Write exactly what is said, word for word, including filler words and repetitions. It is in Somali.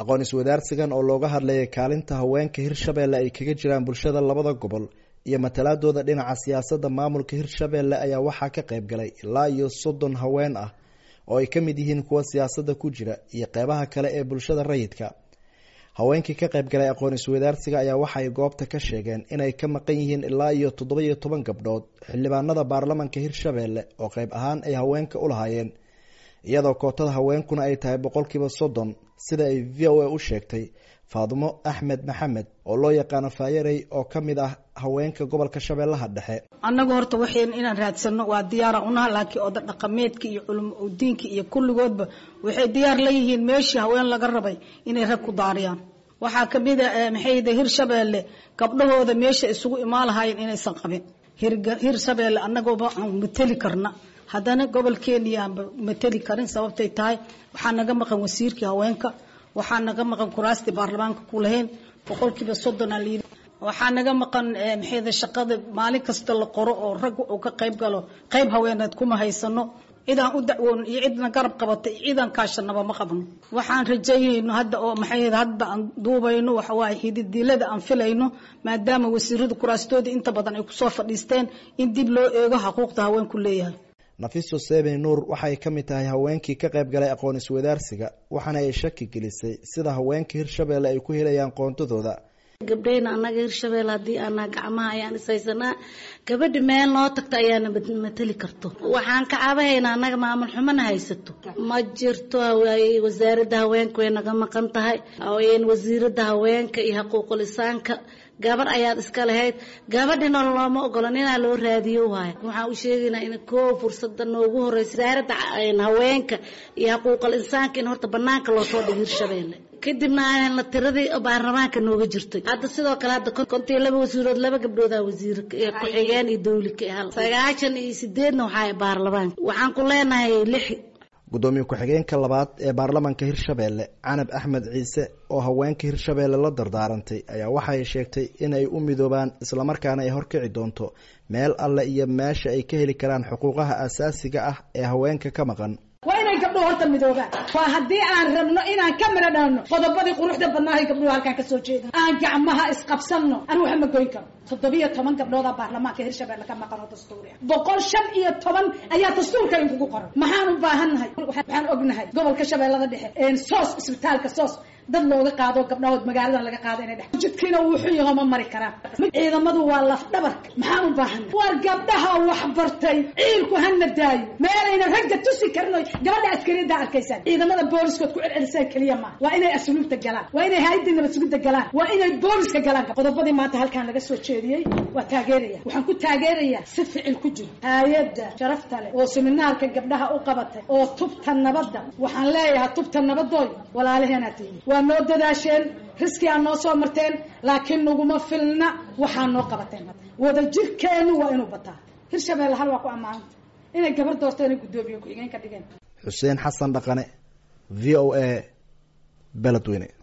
Aqoon iswadaarsigan oo looga hadlayay kaalinta haweenka Hirshabelle ay kaga jiraan bulshada labada gobol iyo matalaadooda dhinaca siyaasadda maamulka Hirshabelle ayaa waxaa ka qayb galay ilaa iyo soddon haween ah oo ay ka mid yihiin kuwa siyaasadda ku jira iyo qeybaha kale ee bulshada rayidka. Haweenkii ka qayb galay aqoon iswadaarsiga ayaa waxay goobta ka sheegeen inay ka maqan yihiin ilaa iyo toddoba iyo toban gabdhood xildhibaanada baarlamanka Hirshabelle oo qayb ahaan ay haweenka u lahaayeen, iyadoo kootada haweenkuna ay tahay boqolkiiba soddon, sida ay V O A u sheegtay Faadumo Axmed Maxamed oo loo yaqaano Faayarey oo ka mid ah haweenka gobolka Shabeellaha Dhexe. Annagu horta waxayn inaan raadsano waa diyaara unaha, laakiin oda dhaqameedka iyo culimo diinka iyo kulligoodba waxay diyaar la yihiin meeshii haween laga rabay inay rag ku daariyaan. Waxaa ka mid ah maxay Hirshabelle gabdhahooda meesha isugu imaan lahaayeen inaysan qabin. Hirshabelle annagooba aan matali karna, haddana gobolkeena aan matali karin sababtay tahay waxaa naga maqan wasiirkii haweenka, waxaa naga maqan kuraastii baarlamaanka ku lahayn boqolkiiba soddon aan liidi, waxaa naga maqan maxay shaqada maalin kasta la qoro oo rag uu ka qayb galo, qayb haweeneed kuma haysano. Cidaan u dacwoon iyo cidna garab qabata iyo cidaan kaashanaba ma qabno. Waxaan rajaynayno hadda oo maxay hadda aan duubayno waxa waaye hididilada aan filayno, maadaama wasiiradu kuraastooda inta badan ay kusoo fadhiisteen, in dib loo eego xuquuqda haweenku leeyahay. Nafiso Seebe Nuur waxay ka mid tahay haweenkii ka qayb galay aqoon iswadaarsiga, waxaana ay shaki gelisay sida haweenka Hirshabelle ay ku helayaan qoontadooda. Gabdhayna annaga Hirshabelle haddii aanaa gacmaha ayaan ishaysanaa, gabadha meel noo tagta ayaana matali karto. Waxaan ka cabahaynaa annaga maamul xumana haysato ma jirto. Wasaaradda haweenka way naga maqan tahay, wasiiradda haweenka iyo xuquuqul insaanka gabar ayaad iska lahayd, gabadhina looma ogola ninaa loo raadiyo waayo. Waxaan u sheegaynaa in koo fursada noogu horeysa wasaaradda haweenka iyo xuquuqul insaanka in horta banaanka loo soo dhigo Hirshabelle, kadibna aan la tiradii baarlamaanka nooga jirtay. Hadda sidoo kale hadda kontii laba wasiirood, laba gabdhoodaa wasiir ku-xigeen iyo dawli ka hal sagaashan iyo sideedna waxaa baarlamaanka waxaan ku leenahay lix. Gudoomiye ku-xigeenka labaad ee baarlamanka Hirshabelle Canab Axmed Ciise oo haweenka Hirshabelle la dardaarantay ayaa waxay sheegtay inay u midoobaan islamarkaana ay horkici doonto meel alle iyo meesha ay ka heli karaan xuquuqaha asaasiga ah ee haweenka ka maqan. Waa inay gabdhuhu horta midoobaan, waa haddii aan rabno inaan ka midho dhalno qodobadii quruxda badnaahay gabdhuhu halkaan ka soo jeeda. Aan gacmaha isqabsanno, anigu waxa ma goyn karo. Toddobiyo toban gabdhoodaa baarlamaanka Hirshabelle ka maqan oo dastuuri ah, boqol shan iyo toban ayaa dastuurka inkugu qoran. Maxaan u baahannahay? Waxaan ognahay gobolka Shabeellada Dhexe soos isbitaalka soos dad looga qaado gabdhahood magaaladan laga qaado inay dhex jidkiina wuxuu yaho ma mari karaan. Ciidamadu waa laf dhabarka. Maxaan u baahannahay? War gabdhaha wax bartay ciilku hana daayo, meelayna ragga tusi karin oo gabadha askariyadda arkaysaan ciidamada booliskood ku celcelisaan keliya maaha. Waa inay asluubta galaan, waa inay hay'adda nabad sugidda galaan, waa inay booliska galaan. Qodobadii maanta halkaan laga soo jeediyey waa taageeraya, waxaan ku taageerayaa si ficil ku jiro. Hay'adda sharafta leh oo seminaarka gabdhaha u qabatay oo tubta nabadda, waxaan leeyahay tubta nabadooy walaalaheenaa tihiin, waa noo dadaasheen, riski aa noo soo marteen, laakiin naguma filna waxaa noo qabateen. Wada jirkeenu waa inuu bataa. Hirshabelle hal waa ku ammaananta inay gabar doorto inay guddoomiye ku-xigeen ka dhigeen. Xuseen Xasan Dhaqane, V O A, Beledweyne.